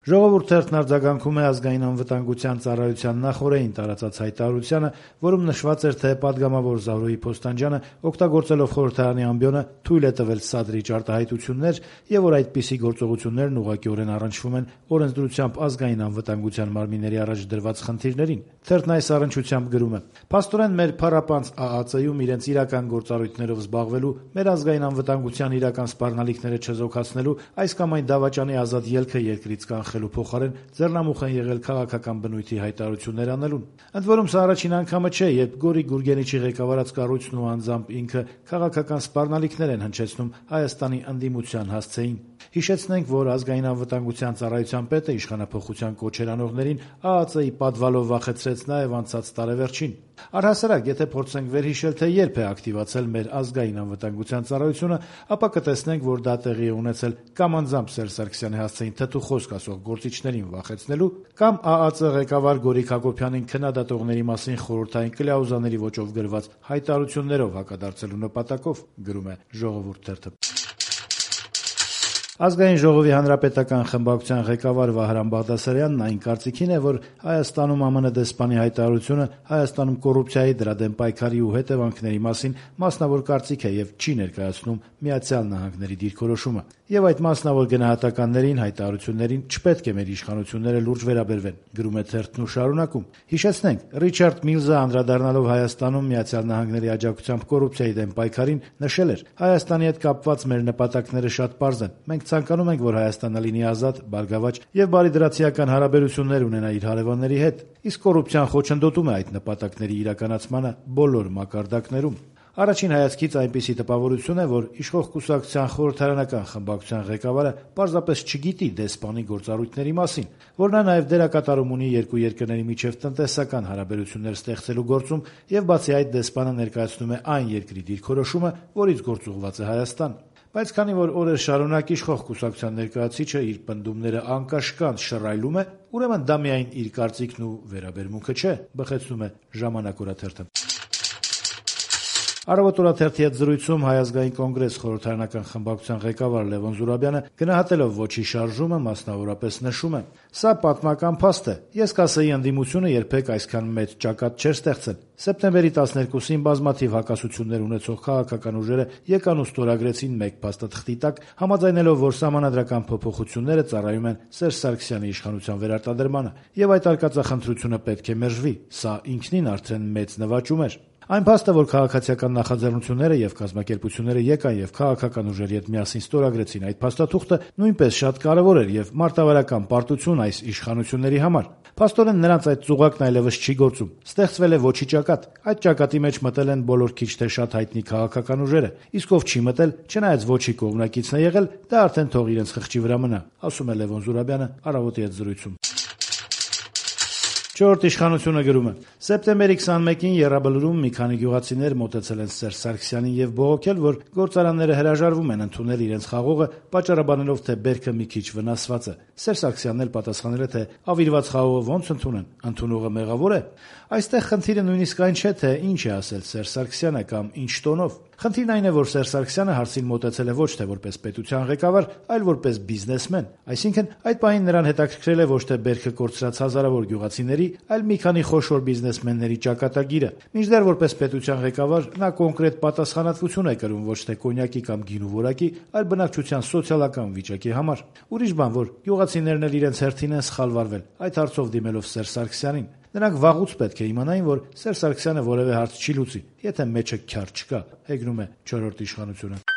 Ժողովուրդ թերթն արձագանքում է ազգային անվտանգության ծառայության նախօրեին տարածած հայտարարությանը, որում նշված էր, թե պատգամավոր Զարուհի Փոստանջյանը օգտագործելով խորհրդարանի ամբիոնը թույլ է տվել սադրիչ արտահայտություններ եւ որ այդպիսի գործողություններն ուղղակիորեն առնչվում են օրենսդրությամբ ազգային անվտանգության մարմինների առաջ դրված խնդիրներին։ Թերթն այս առնչությամբ գրում է. «Փաստորեն մեր փառապանծ ԱԱԾ-ում իրենց իրական գործառույթներով զբաղվելու, մեր ազգային անվտանգության իրական սպառնալիքները չզոքացնելու, այս կամ այն դավաճանի ազատ ելքը երկրից կանխելու փոխարեն ձեռնամուխ են եղել քաղաքական բնույթի հայտարարություններ անելուն։ Ընդ որում սա առաջին անգամը չէ, երբ Գորիկ Գուրգենիչի ղեկավարած կառույցն ու անձամբ ինքը քաղաքական սպառնալիքներ են հնչեցնում Հայաստանի ընդդիմության հասցեին։ Հիշեցնենք, որ ազգային անվտանգության ծառայության պետը իշխանափոխության կոչեր անողներին ԱԱԾ-ի պատվալով վախեցրեց նաև անցած տարեվերջին։ Առհասարակ, եթե փորձենք վերհիշել, թե երբ է ակտիվացել մեր ազգային անվտանգության ծառայությունը, ապա կտեսնենք, որ դա տեղի է ունեցել կամ անձամբ Սերժ Սարգսյանի հասցեին թթու խոսք ասող գործիչներին վախեցնելու, կամ ԱԱԾ ղեկավար Գորիկ Հակոբյանին քննադատողների մասին խորհրդային կլյաուզաների ոճով գրված հայտարարություններով հակադարձելու նպատակով», գրում է Ժողովուրդ թերթը։ Ազգային ժողովի հանրապետական խմբակցության ղեկավար Վահրամ Բաղդասարյանն այն կարծիքին է, որ Հայաստանում ԱՄՆ դեսպանի հայտարարությունը Հայաստանում կոռուպցիայի, դրա դեմ պայքարի ու հետևանքների մասին մասնավոր կարծիք է եւ չի ներկայացնում Միացյալ Նահանգների դիրքորոշումը։ Եվ այդ մասնավոր գնահատականներին, հայտարարություններին չպետք է մեր իշխանությունները լուրջ վերաբերվեն, գրում է թերթն ու շարունակում. «Հիշեցնենք, Ռիչարդ Միլզը անդրադառնալով Հայաստանում Միացյալ Նահանգների աջակցությամբ կոռուպցիայի դեմ պայքարին նշել էր. Հայաստանի հետ կապված մեր նպատակները շատ պարզ են։ Մենք ցանկանում ենք, որ Հայաստանը լինի ազատ, բարգավաճ եւ բարիդրացիական հարաբերություններ ունենա իր հարևանների հետ, իսկ կոռուպցիան խոչընդոտում է այդ նպատակների իրականացմանը բոլոր մակարդակներում։ Առաջին հայացքից այնպիսի տպավորություն է, որ իշխող կուսակցության խորհրդարանական խմբակցության ղեկավարը պարզապես չգիտի դեսպանի գործառույթների մասին, որ նա նաև դերակատարում ունի երկու երկրների միջև տնտեսական հարաբերություններ ստեղծելու գործում եւ բացի այդ դեսպանը ներկայացնում է այն երկրի դիրքորոշումը, որից գործուղված է Հայաստան։ Բայց քանի որ օրեր շարունակ իշխող կուսակցության ներկայացուցիչը իր պնդումները անկաշկանդ շռայլում է, ուրեմն դա միայն իր կարծիքն ու վերաբերմունքը չէ», բխեցնում է Ժամանակ օրաթերթը։ Առավոտ օրաթերթի հետ զրույցում Հայ ազգային կոնգրես խորհրդարանական խմբակցության ղեկավար Լևոն Զուրաբյանը գնահատելով ոչի շարժումը մասնավորապես նշում է. «Սա պատմական փաստ է։ Ես կասեի, ընդդիմությունը երբեք այսքան մեծ ճակատ չէր ստեղծել։ Սեպտեմբերի 12-ին բազմաթիվ հակասություններ ունեցող քաղաքական ուժերը եկան ու ստորագրեցին մեկ փաստաթղթի տակ, համաձայնելով, որ սահմանադրական փոփոխությունները ծառայում են Սերժ Սարգսյանի իշխանության վերարտադրմանը, եւ այդ արկածախնդրությունը պետք է մերժվի։ Սա ինքնին արդեն մեծ նվաճում էր։ Այն փաստը, որ քաղաքացիական նախաձեռնությունները եւ կազմակերպությունները եկան եւ քաղաքական ուժերի հետ միասին ստորագրեցին այդ փաստաթուղթը, նույնպես շատ կարեւոր էր եւ մարտավարական պարտություն այս իշխանությունների համար։ Փաստորեն նրանց այդ ծուղակն այլևս չի գործում։ Ստեղծվել է ոչի ճակատ։ Այդ ճակատի մեջ մտել են բոլոր քիչ թե շատ հայտնի քաղաքական ուժերը, իսկ ով չի մտել, չնայած ոչի կողմնակիցն է եղել, դա արդեն թող իրենց խղճի վրա մնա», ասում է Լևոն Զուրաբյանը Առավոտի հետ զրույցում։ Չորրորդ իշխանությունը գրում է. «Սեպտեմբերի 21-ին Եռաբլուրում մի քանի գյուղացիներ մոտեցել են Սերժ Սարգսյանին եւ բողոքել, որ գործարանները հրաժարվում են ընդունել իրենց խաղողը, պատճառաբանելով, թե բերքը մի քիչ վնասված է։ Սերժ Սարգսյանն էլ պատասխանել է, թե ավիրված խաղողը ոնց ընդունեն, ընդունողը մեղավոր է։ Այստեղ խնդիրը նույնիսկ այն չէ, թե ինչ է ասել Սերժ Սարգսյանը կամ ինչ տոնով։ Խնդիրն այն է, որ Սերժ Սարգսյանը հարցին մոտեցել է ոչ թե որպես պետության ղեկավար, այլ որպես բիզնեսմեն։ Այսինքն, այդ պահին նրան հետաքրքրել է ոչ թե բերքը կորցրած հազարավոր գյուղացիների, այլ մի քանի խոշոր բիզնեսմենների ճակատագիրը։ Մինչդեռ որպես պետության ղեկավար նա կոնկրետ պատասխանատվություն է կրում ոչ թե կոնյակի կամ գինու որակի, այլ բնակչության սոցիալական վիճակի համար։ Ուրիշ բան, որ գյուղացիներն էլ իրենց հերթին են սխալվարվել այդ հարցով դիմելով Սերժ Սարգսյանին։ Նրանք վաղուց պետք է իմանային, որ Սերժ Սարգսյանը որևէ հարց չի լուծի, եթե մեջը քյար չկա», հեգնում է Չորրորդ իշխանությունը։